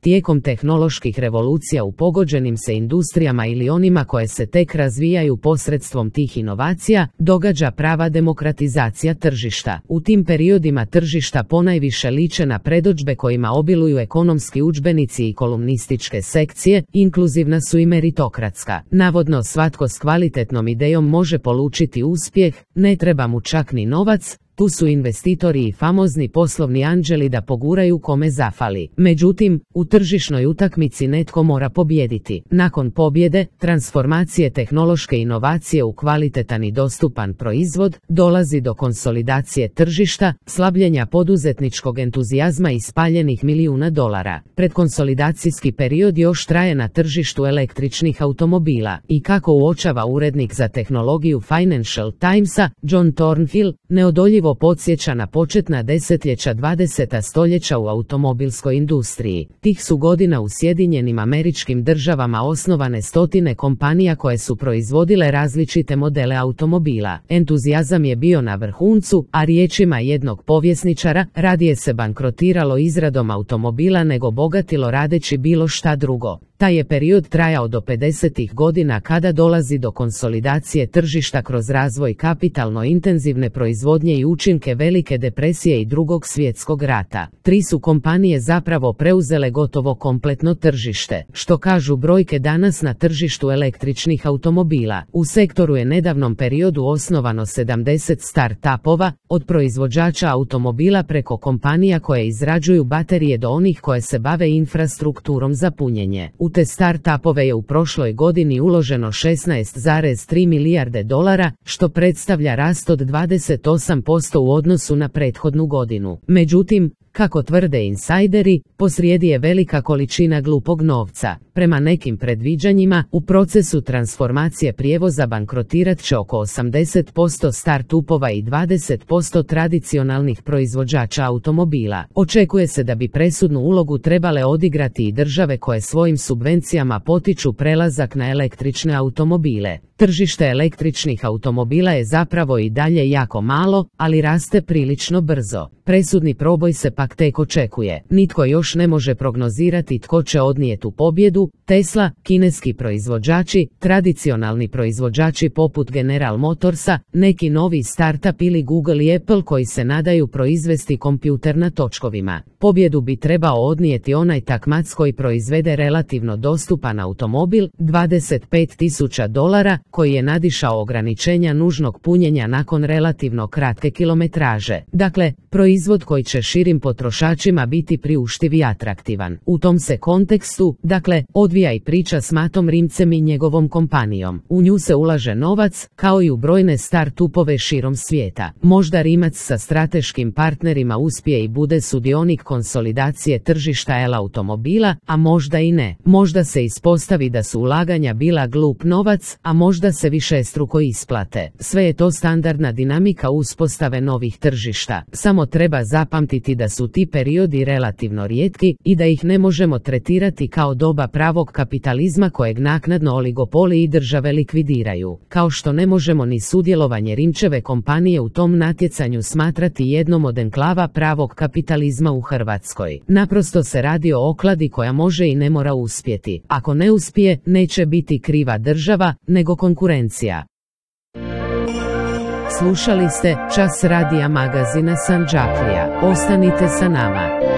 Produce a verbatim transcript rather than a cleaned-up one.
tijekom tehnoloških revolucija u pogođenim se industrijama ili onima koje se tek razvijaju posredstvom tih inovacija, događa prava demokratizacija tržišta. U tim periodima tržišta ponajviše liče na predodžbe kojima obiluju ekonomski udžbenici i kolumnističke sekcije, inkluzivna su i meritokratska. Navodno svatko s kvalitetnom idejom može polučiti uspjeh, ne treba mu čak ni novac, tu su investitori i famozni poslovni anđeli da poguraju kome zafali. Međutim, u tržišnoj utakmici netko mora pobijediti. Nakon pobjede, transformacije tehnološke inovacije u kvalitetan i dostupan proizvod, dolazi do konsolidacije tržišta, slabljenja poduzetničkog entuzijazma i spaljenih milijuna dolara. Predkonsolidacijski period još traje na tržištu električnih automobila i kako uočava urednik za tehnologiju Financial Timesa, John Thornhill, neodoljivo podsjeća na početna desetljeća dvadesetog stoljeća u automobilskoj industriji. Tih su godina u Sjedinjenim Američkim Državama osnovane stotine kompanija koje su proizvodile različite modele automobila. Entuzijazam je bio na vrhuncu, a riječima jednog povjesničara, radije se bankrotiralo izradom automobila nego bogatilo radeći bilo šta drugo. Taj je period trajao do pedesetih godina kada dolazi do konsolidacije tržišta kroz razvoj kapitalno intenzivne proizvodnje i učinke Velike depresije i Drugog svjetskog rata. Tri su kompanije zapravo preuzele gotovo kompletno tržište. Što kažu brojke danas na tržištu električnih automobila? U sektoru je nedavnom periodu osnovano sedamdeset start-upova, od proizvođača automobila preko kompanija koje izrađuju baterije do onih koje se bave infrastrukturom za punjenje. U te start-upove je u prošloj godini uloženo šesnaest zarez tri milijarde dolara, što predstavlja rast od dvadeset osam posto u odnosu na prethodnu godinu. Međutim, kako tvrde insajderi, posrijedi je velika količina glupog novca. Prema nekim predviđanjima, u procesu transformacije prijevoza bankrotirat će oko osamdeset posto start-upova i dvadeset posto tradicionalnih proizvođača automobila. Očekuje se da bi presudnu ulogu trebale odigrati i države koje svojim subvencijama potiču prelazak na električne automobile. Tržište električnih automobila je zapravo i dalje jako malo, ali raste prilično brzo. Presudni proboj se pak tek očekuje. Nitko još ne može prognozirati tko će odnijeti tu pobjedu, Tesla, kineski proizvođači, tradicionalni proizvođači poput General Motorsa, neki novi startup ili Google i Apple koji se nadaju proizvesti kompjuter na točkovima. Pobjedu bi trebao odnijeti onaj takmac koji proizvede relativno dostupan automobil, dvadeset pet tisuća dolara, koji je nadišao ograničenja nužnog punjenja nakon relativno kratke kilometraže. Dakle, proizvod koji će širim potrošačima biti priuštiv i atraktivan. U tom se kontekstu, dakle, odvija i priča s Mattom Rimcem i njegovom kompanijom. U nju se ulaže novac, kao i u brojne start-upove širom svijeta. Možda Rimac sa strateškim partnerima uspije i bude sudionik konsolidacije tržišta el-automobila, a možda i ne. Možda se ispostavi da su ulaganja bila glup novac, a možda se višestruko isplate. Sve je to standardna dinamika uspostave novih tržišta. Samo treba zapamtiti da su ti periodi relativno rijetki i da ih ne možemo tretirati kao doba pravog kapitalizma kojeg naknadno oligopoli i države likvidiraju. Kao što ne možemo ni sudjelovanje Rimčeve kompanije u tom natjecanju smatrati jednom od enklava pravog kapitalizma u Hrvatskoj. Naprosto se radi o okladi koja može i ne mora uspjeti. Ako ne uspije, neće biti kriva država, nego konkurencija. Slušali ste Čas radija magazina Sandžaklija. Ostanite sa nama.